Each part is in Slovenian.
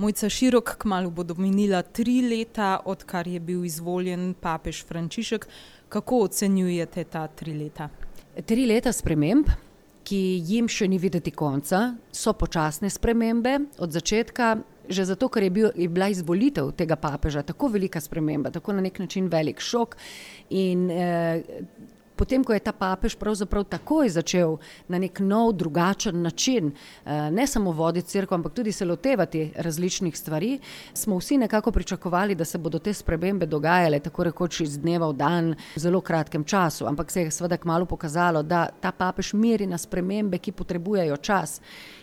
Mojca Širok, kmalu bodo minila 3 leta, odkar je bil izvoljen papež Frančišek. Kako ocenjujete ta 3 leta? 3 leta sprememb, ki jim še ni videti konca, so počasne spremembe od začetka, že zato, ker je bila izvolitev tega papeža tako velika sprememba, tako na nek način velik šok in potem, ko je ta papež pravzaprav takoj začel na nek nov, drugačen način, ne samo voditi cerkev, ampak tudi se lotevati različnih stvari, smo vsi nekako pričakovali, da se bodo te spremembe dogajale tako rekoč iz dneva v dan v zelo kratkem času, ampak se je seveda kmalu pokazalo, da ta papež meri na spremembe, ki potrebujejo čas.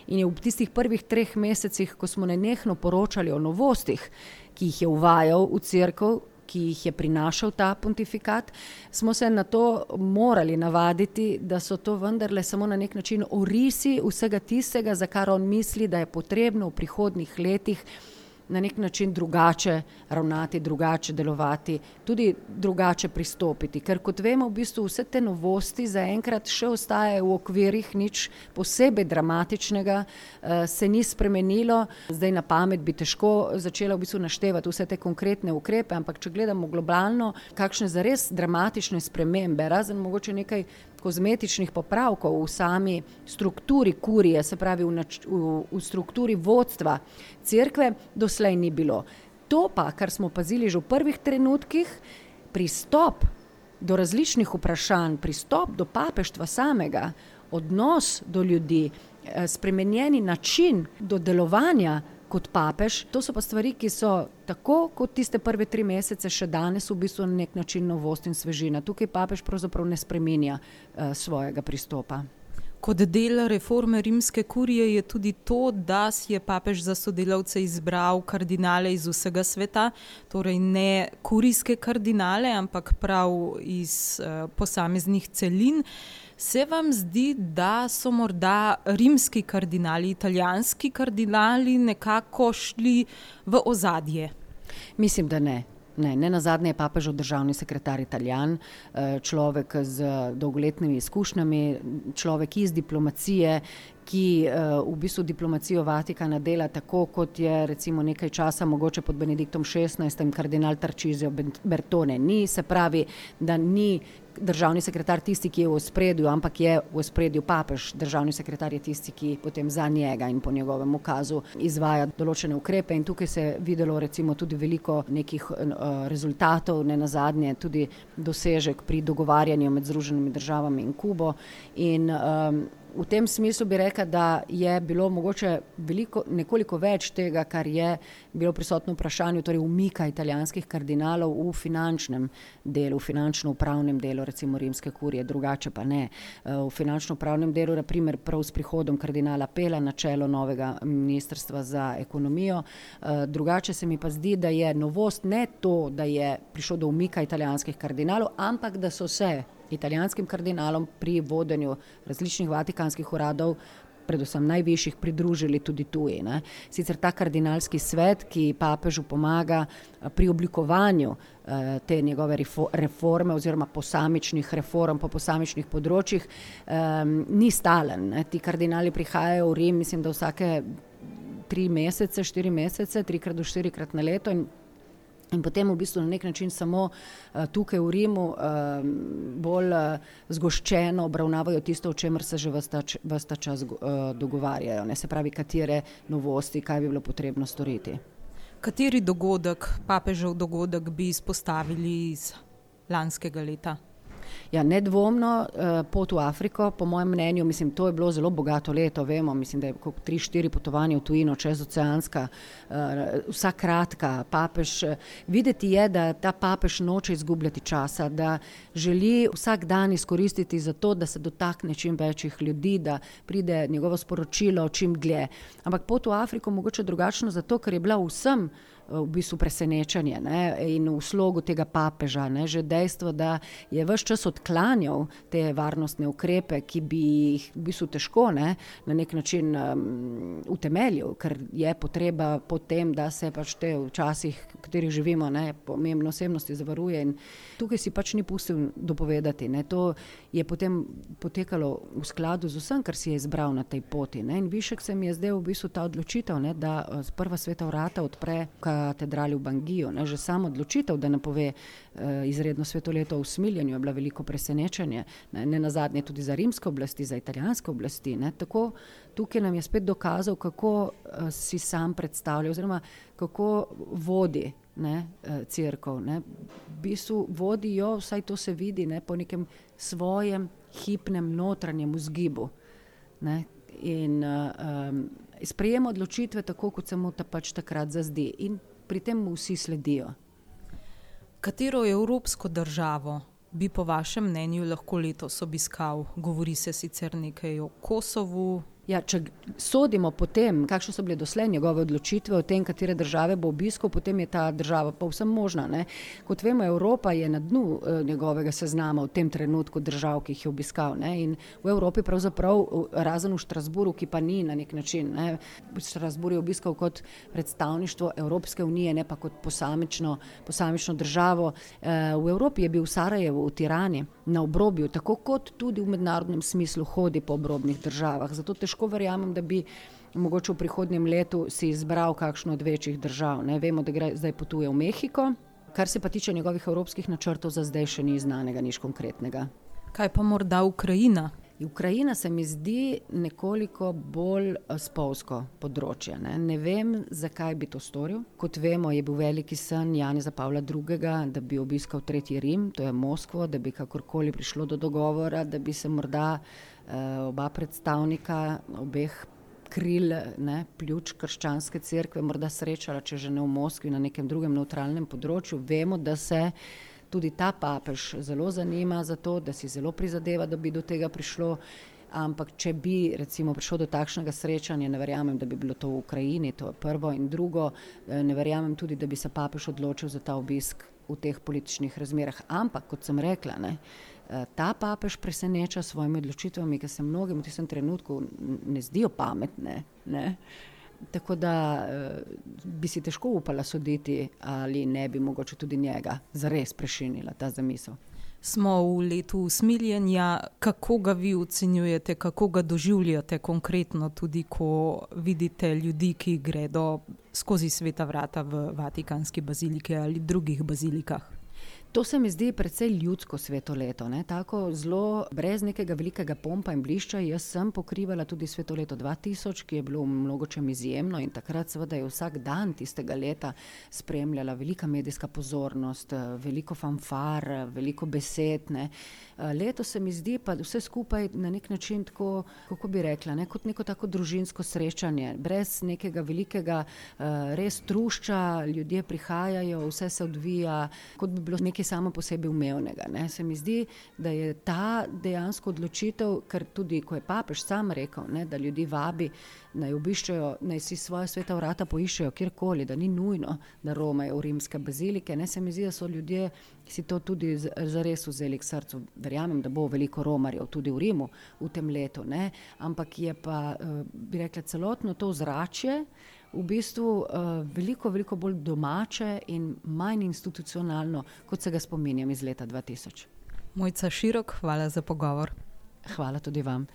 In je v tistih prvih 3 mesecih, ko smo nenehno poročali o novostih, ki jih je uvajal v cerkev, ki jih je prinašal ta pontifikat, smo se na to morali navaditi, da so to vendarle samo na nek način orisi vsega tistega, za kar on misli, da je potrebno v prihodnjih letih na nek način drugače ravnati, drugače delovati, tudi drugače pristopiti. Ker kot vemo, v bistvu vse te novosti zaenkrat še ostajajo v okvirih, nič posebej dramatičnega se ni spremenilo. Zdaj na pamet bi težko začela v bistvu naštevati vse te konkretne ukrepe, ampak če gledamo globalno, kakšne zares dramatične spremembe, razen mogoče nekaj kozmetičnih popravkov v sami strukturi kurije, se pravi v strukturi vodstva cerkve, doslej ni bilo. To pa, kar smo opazili že v prvih trenutkih, pristop do različnih vprašanj, pristop do papeštva samega, odnos do ljudi, spremenjeni način do delovanja kot papež, to so pa stvari, ki so tako kot tiste prve 3 mesece še danes v bistvu na nek način novost in svežina. Tukaj papež pravzaprav ne spreminja svojega pristopa. Kot del reforme rimske kurije je tudi to, da si je papež za sodelavce izbral kardinale iz vsega sveta, torej ne kurijske kardinale, ampak prav iz posameznih celin. Se vam zdi, da so morda rimski kardinali, italijanski kardinali nekako šli v ozadje? Mislim, da ne. Ne nazadnje je papežev državni sekretar Italijan, človek z dolgoletnimi izkušnjami, človek iz diplomacije, ki v bistvu diplomacijo Vatikana dela tako, kot je recimo nekaj časa mogoče pod Benediktom XVI kardinal Tarcisio Bertone. Ni, se pravi, da ni državni sekretar tisti, ki je v ospredju, ampak je v ospredju papež. Državni sekretar je tisti, ki potem za njega in po njegovem ukazu izvaja določene ukrepe in tukaj se je videlo recimo tudi veliko nekih rezultatov, ne nazadnje tudi dosežek pri dogovarjanju med Združenimi državami in Kubo in v tem smislu bi rekla, da je bilo mogoče nekoliko več tega, kar je bilo prisotno v vprašanju, torej umika italijanskih kardinalov v finančnem delu, v finančno-upravnem delu recimo rimske kurije, drugače pa ne. V finančno-upravnem delu, na primer prav s prihodom kardinala Pela na čelo novega ministrstva za ekonomijo. Drugače se mi pa zdi, da je novost ne to, da je prišlo do umika italijanskih kardinalov, ampak da so se italijanskim kardinalom pri vodenju različnih vatikanskih uradov, predvsem najvišjih, pridružili tudi tuji. Sicer ta kardinalski svet, ki papežu pomaga pri oblikovanju te njegove reforme oziroma posamičnih reform po posamičnih področjih, ni stalen. Ti kardinali prihajajo v Rim, mislim, da vsake 3 mesece, 4 mesece, 3 do 4 na leto in potem v bistvu na nek način samo tukaj v Rimu bolj zgoščeno obravnavajo tisto, o čemer se že ves ta čas dogovarjajo. Se pravi, katere novosti, kaj bi bilo potrebno storiti. Kateri dogodek, papežev dogodek bi izpostavili iz lanskega leta? Ja, nedvomno pot v Afriko, po mojem mnenju, mislim, to je bilo zelo bogato leto, vemo, mislim, da je 3-4 potovanja v tujino, čezoceanska, vsa kratka, papež. Videti je, da ta papež noče izgubljati časa, da želi vsak dan izkoristiti za to, da se dotakne čim večjih ljudi, da pride njegovo sporočilo čim dlje. Ampak pot v Afriko mogoče drugačno zato, ker je bila vsem v bistvu presenečenje, ne, in v slogu tega papeža, ne, že dejstvo, da je ves čas odklanjal te varnostne ukrepe, ki bi jih v bistvu težko, ne, na nek način utemeljil, ker je potreba po tem, da se pač te včasih, v katerih živimo, ne, pomembne osebnosti zavaruje in tukaj si pač ni pustil dopovedati, ne, to je potem potekalo v skladu z vsem, kar si je izbral na tej poti, ne, in višek se mi je zdaj v bistvu ta odločitev, ne, da prva sveta vrata odpre katedrali v Bangiju, ne, že samo odločitev, da napove izredno svetoleto v Smiljanju je bila veliko presenečenje, ne nazadnje tudi za rimske oblasti, za italijanske oblasti, ne, tako tukaj nam je spet dokazal, kako si sam predstavlja oziroma kako vodi, ne, cerkev, ne, v bistvu vodijo, vsaj to se vidi, ne, po nekem svojem hipnem notranjem vzgibu, ne, in sprejema odločitve tako, kot se mu pač takrat zazdi in pri tem mu vsi sledijo. Katero evropsko državo bi po vašem mnenju lahko letos obiskal? Govori se sicer nekaj o Kosovu. Ja, če sodimo po tem, kakšne so bile doslej njegove odločitve o tem, katere države bo obiskal, potem je ta država povsem možna, ne. Kot vemo, Evropa je na dnu njegovega seznama v tem trenutku držav, ki jih je obiskal, ne, in v Evropi pravzaprav, razen v Štrasburu, ki pa ni na nek način, ne, Štrasbur je obiskal kot predstavništvo Evropske unije, ne pa kot posamično državo. V Evropi je bil v Sarajevu, v Tirani, na obrobju, tako kot tudi v mednarodnem smislu hodi po obrobnih državah, zato težko verjamem, da bi mogoče v prihodnjem letu si izbral kakšno od večjih držav, ne, vemo, da zdaj potuje v Mehiko, kar se pa tiče njegovih evropskih načrtov, za zdaj še ni znanega, nič konkretnega. Kaj pa morda Ukrajina? Ukrajina se mi zdi nekoliko bolj spolzko področje, ne. Ne vem, zakaj bi to storil. Kot vemo, je bil veliki sen Janeza Pavla II., da bi obiskal Tretji Rim, to je Moskvo, da bi kakorkoli prišlo do dogovora, da bi se morda oba predstavnika obeh kril, ne, pljuč krščanske cerkve morda srečala, če že ne v Moskvi, na nekem drugem nevtralnem področju. Vemo, da se tudi ta papež zelo zanima za to, da si zelo prizadeva, da bi do tega prišlo, ampak če bi recimo prišlo do takšnega srečanja, ne verjamem, da bi bilo to v Ukrajini, to je prvo, in drugo, ne verjamem tudi, da bi se papež odločil za ta obisk v teh političnih razmerah, ampak kot sem rekla, ne, ta papež preseneča s svojimi odločitvami, ki se mnogim v tistem trenutku ne zdijo pametne, ne. Tako da bi si težko upala soditi, ali ne bi mogoče tudi njega zares prešinila ta zamisel. Smo v letu usmiljenja, kako ga vi ocenjujete, kako ga doživljate konkretno, tudi ko vidite ljudi, ki gredo skozi sveta vrata v Vatikanski baziliki ali drugih bazilikah? To se mi zdi precej ljudsko svetoleto, ne, tako zelo brez nekega velikega pompa in blišča. Jaz sem pokrivala tudi svetoleto 2000, ki je bilo v mnogočem izjemno in takrat seveda je vsak dan tistega leta spremljala velika medijska pozornost, veliko fanfar, veliko besed, ne. Letos se mi zdi pa vse skupaj na nek način tako, kako bi rekla, ne, kot neko tako družinsko srečanje, brez nekega velikega res trušča, ljudje prihajajo, vse se odvija, kot bi bilo nekaj samo po sebi umevnega, ne. Se mi zdi, da je ta dejansko odločitev, ker tudi, ko je papež sam rekel, ne, da ljudi vabi, naj obiščejo, naj si svoja sveta vrata poiščejo kjerkoli, da ni nujno, da romajo v rimske bazilike, ne, se mi zdi, da so ljudje si to tudi zares vzeli k srcu. Verjamem, da bo veliko romarjev tudi v Rimu v tem letu, ne, ampak je pa, bi rekla, celotno to ozračje v bistvu veliko bolj domače in manj institucionalno, kot se ga spominjam iz leta 2000. Mojca Širok, hvala za pogovor. Hvala tudi vam.